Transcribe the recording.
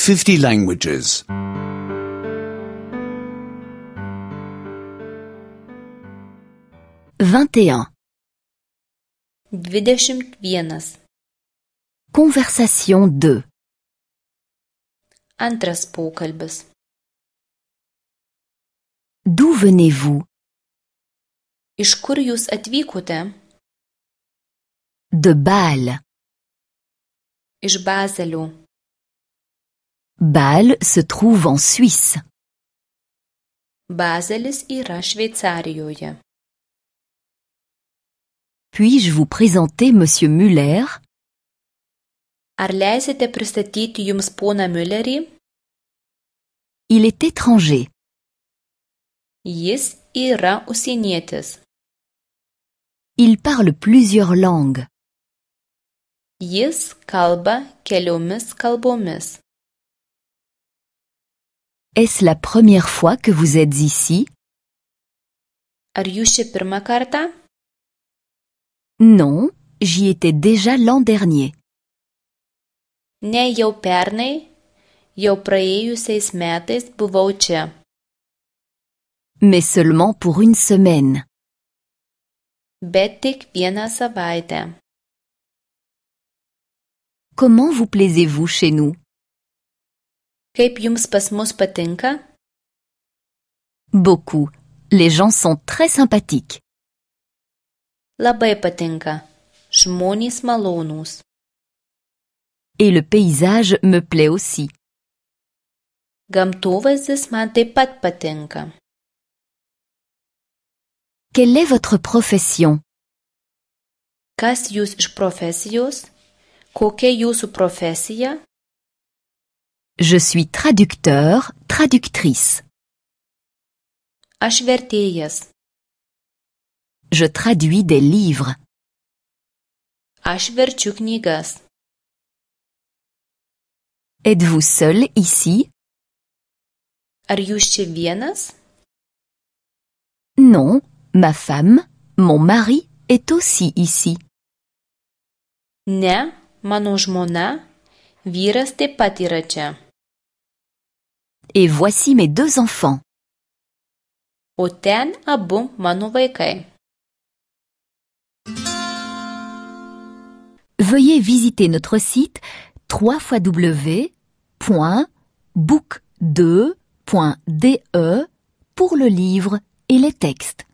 50 languages. 21. 21. Conversation 2. Antras pokalbis. D'où venez-vous? Iš kur jūs atvykote? De Bâle. Iš Bazelio. Bâle se trouve en Suisse. Bazelis yra Šveicarijoje. Puis-je vous présenter Monsieur Müller? Ar leisite pristatyti jums poną Müllerį? Il est étranger. Jis yra užsienietis. Il parle plusieurs langues. Jis kalba keliomis kalbomis. Est-ce la première fois que vous êtes ici? Ar jūs čia pirmą kartą? Non, j'y étais déjà l'an dernier. Ne, jau pernai, jau praėjusiais metais buvau čia. Mais seulement pour une semaine. Bet tik vieną savaitę. Comment vous plaisez-vous chez nous? Kaip jums pas mus patinka? Beaucoup. Les gens sont très sympathiques. Labai patinka. Žmonės malonūs. Et le paysage me plaît aussi. Gamtovaizdis man taip pat patinka. Quelle est votre profession? Kas jūs iš profesijos? Kokia jūsų profesija? Je suis traducteur, traductrice. Aš vertėjas. Je traduis des livres. Aš verčiu knygas. Êtes-vous seul ici? Ar jūs čia vienas? Non, ma femme, mon mari est aussi ici. Ne, mano žmona, vyras taip pat yra čia. Et voici mes 2 enfants. O ten abu mano vaikai. Veuillez visiter notre site www.book2.de pour le livre et les textes.